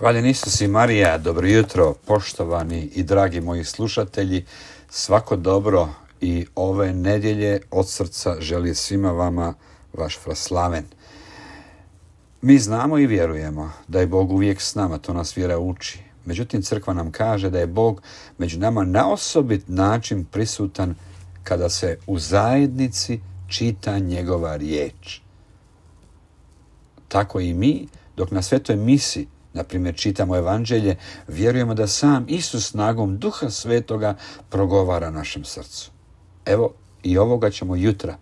Hvaljen Isus i Marija, dobro jutro, poštovani i dragi moji slušatelji. Svako dobro i ove nedjelje od srca želi svima vama vaš Fraslaven. Mi znamo i vjerujemo da je Bog uvijek s nama, to nas vjera uči. Međutim, crkva nam kaže da je Bog među nama na osobit način prisutan kada se u zajednici čita njegova riječ. Tako i mi, dok na svetoj misi, na primjer, čitamo evanđelje, vjerujemo da sam Isus snagom Duha Svetoga progovara našem srcu. Evo, i ovoga ćemo jutra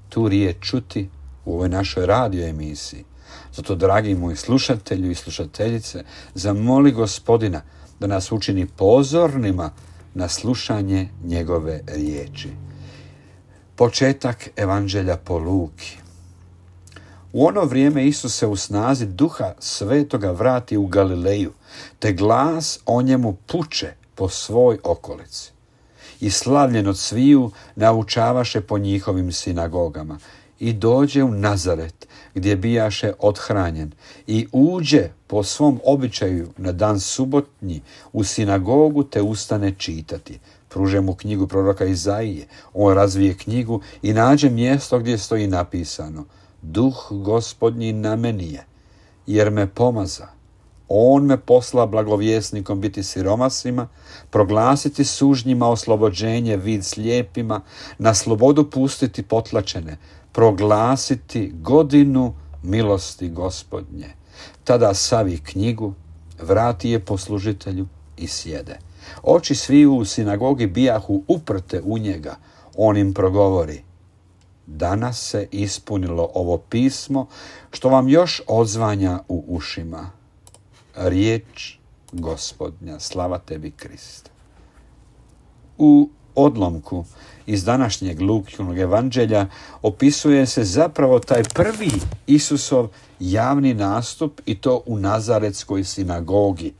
tu riječ čuti u ovoj našoj radio emisiji. Zato, dragi moji slušatelji i slušateljice, zamoli Gospodina da nas učini pozornima na slušanje njegove riječi. Početak evanđelja po Luki. U ono vrijeme Isus se u snazi Duha Svetoga vrati u Galileju, te glas o njemu puče po svoj okolici. I slavljen od sviju naučavaše po njihovim sinagogama. I dođe u Nazaret, gdje bijaše othranjen, i uđe po svom običaju na dan subotnji u sinagogu, te ustane čitati. Pruže mu knjigu proroka Izaije. On razvije knjigu i nađe mjesto gdje stoji napisano: Duh Gospodnji na meni je, jer me pomaza. On me posla blagovjesnikom biti siromasima, proglasiti sužnjima oslobođenje vid slijepima, na slobodu pustiti potlačene, proglasiti godinu milosti Gospodnje. Tada savi knjigu, vrati je poslužitelju i sjede. Oči sviju u sinagogi bijahu uprte u njega. On im progovori: danas se ispunilo ovo pismo što vam još odzvanja u ušima. Riječ Gospodnja, slava tebi Kriste. U odlomku iz današnjeg Lukinog evanđelja opisuje se zapravo taj prvi Isusov javni nastup, i to u Nazaretskoj sinagogi,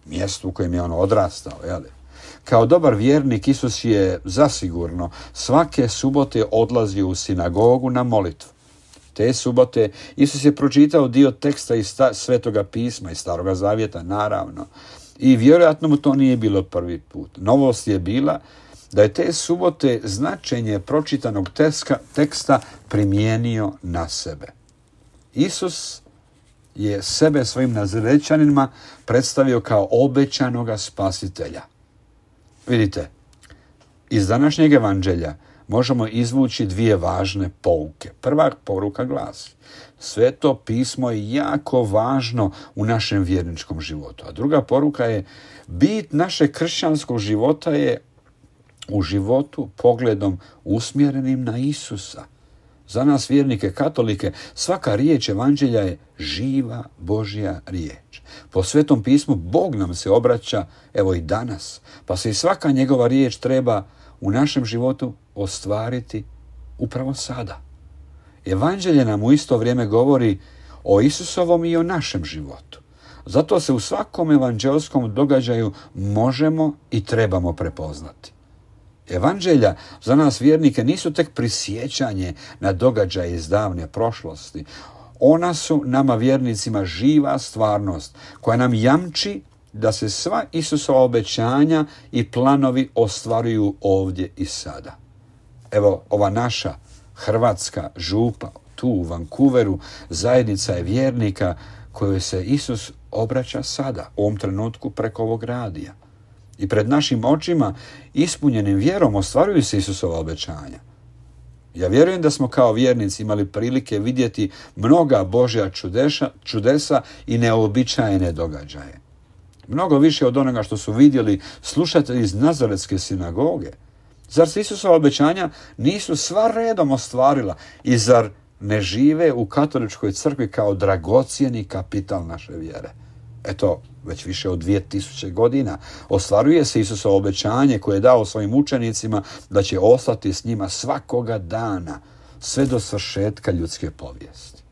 mjestu u kojem je on odrastao. Kao dobar vjernik, Isus je zasigurno svake subote odlazio u sinagogu na molitvu. Te subote Isus je pročitao dio teksta iz Svetoga pisma, iz Staroga zavjeta, naravno. I vjerojatno mu to nije bilo prvi put. Novost je bila da je te subote značenje pročitanog teksta primijenio na sebe. Isus je sebe svojim Nazarećanima predstavio kao obećanoga spasitelja. Vidite, iz današnjeg evanđelja možemo izvući dvije važne pouke. Prva poruka glasi: Sveto pismo je jako važno u našem vjerničkom životu. A druga poruka je: bit našeg kršćanskog života je u životu pogledom usmjerenim na Isusa. Za nas vjernike katolike svaka riječ evanđelja je živa Božja riječ. Po Svetom pismu Bog nam se obraća evo i danas, pa se i svaka njegova riječ treba u našem životu ostvariti upravo sada. Evanđelje nam u isto vrijeme govori o Isusovom i o našem životu. Zato se u svakom evanđelskom događaju možemo i trebamo prepoznati. Evanđelja za nas vjernike nisu tek prisjećanje na događaje iz davne prošlosti. Ona su nama vjernicima živa stvarnost koja nam jamči da se sva Isusova obećanja i planovi ostvaruju ovdje i sada. Evo, ova naša hrvatska župa tu u Vancouveru zajednica je vjernika kojoj se Isus obraća sada, u ovom trenutku preko ovog radija. I pred našim očima, ispunjenim vjerom, ostvaruju se Isusova obećanja. Ja vjerujem da smo kao vjernici imali prilike vidjeti mnoga Božja čudesa i neobičajene događaje. Mnogo više od onoga što su vidjeli slušatelji iz Nazaretske sinagoge. Zar se Isusova obećanja nisu sva redom ostvarila i zar ne žive u katoličkoj crkvi kao dragocjeni kapital naše vjere? Eto, već više od 2000 godina ostvaruje se Isusovo obećanje koje je dao svojim učenicima da će ostati s njima svakoga dana sve do svršetka ljudske povijesti.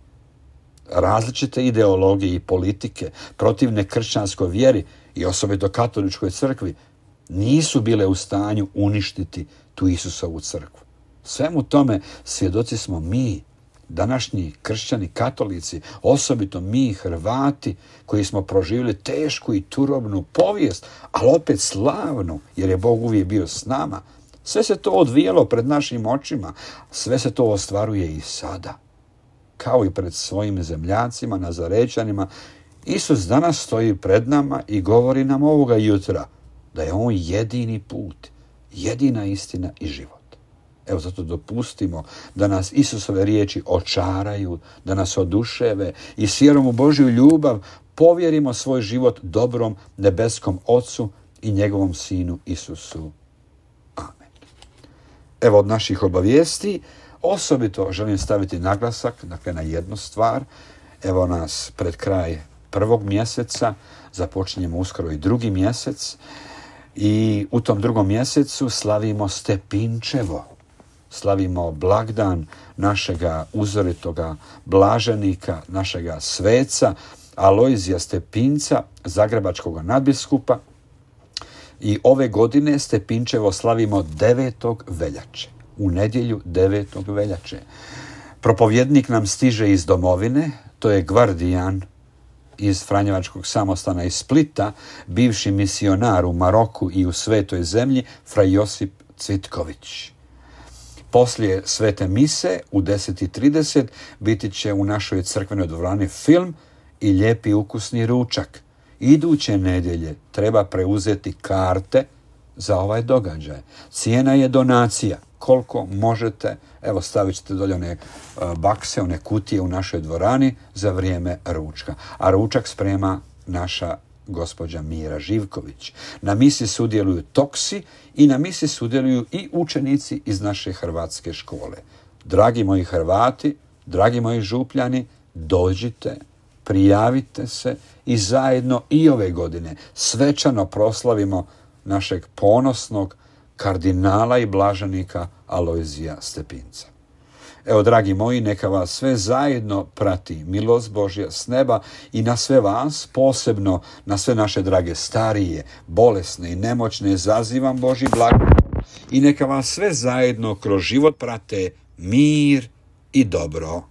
Različite ideologije i politike protivne kršćanskoj vjeri i osobito katoličkoj crkvi nisu bile u stanju uništiti tu Isusovu crkvu. Svemu tome svjedoci smo mi, današnji kršćani, katolici, osobito mi Hrvati koji smo proživjeli tešku i turobnu povijest, ali opet slavnu, jer je Bog uvijek bio s nama. Sve se to odvijalo pred našim očima, sve se to ostvaruje i sada. Kao i pred svojim zemljacima, Nazarećanima, Isus danas stoji pred nama i govori nam ovoga jutra da je on jedini put, jedina istina i život. Evo zato dopustimo da nas Isusove riječi očaraju, da nas oduševe i s vjerom u Božju ljubav povjerimo svoj život dobrom nebeskom Ocu i njegovom Sinu Isusu. Amen. Evo od naših obavijesti osobito želim staviti naglasak na jednu stvar. Evo nas pred kraj 1. mjeseca, započinjemo uskoro i 2. mjesec i u tom 2. mjesecu slavimo Stepinčevo. Slavimo blagdan našega uzoritoga blaženika, našega sveca Alojzija Stepinca, zagrebačkog nadbiskupa. I ove godine Stepinčevo slavimo 9. veljače, u nedjelju 9. veljače. Propovjednik nam stiže iz domovine, to je Gvardijan iz Franjevačkog samostana iz Splita, bivši misionar u Maroku i u Svetoj zemlji, fra Josip Cvitković. Poslije svete mise u 10:30 biti će u našoj crkvenoj dvorani film i lijepi ukusni ručak. Iduće nedjelje treba preuzeti karte za ovaj događaj. Cijena je donacija. Koliko možete, evo stavit ćete dolje one bakse, one kutije u našoj dvorani za vrijeme ručka. A ručak sprema naša gospođa Mira Živković. Na misi sudjeluju toksi i na misi sudjeluju i učenici iz naše hrvatske škole. Dragi moji Hrvati, dragi moji Župljani, dođite, prijavite se i zajedno i ove godine svečano proslavimo našeg ponosnog kardinala i blaženika Alojzija Stepinca. Evo, dragi moji, neka vas sve zajedno prati milost Božja s neba i na sve vas, posebno na sve naše drage starije, bolesne i nemoćne, zazivam Božji blagoslov i neka vas sve zajedno kroz život prate mir i dobro.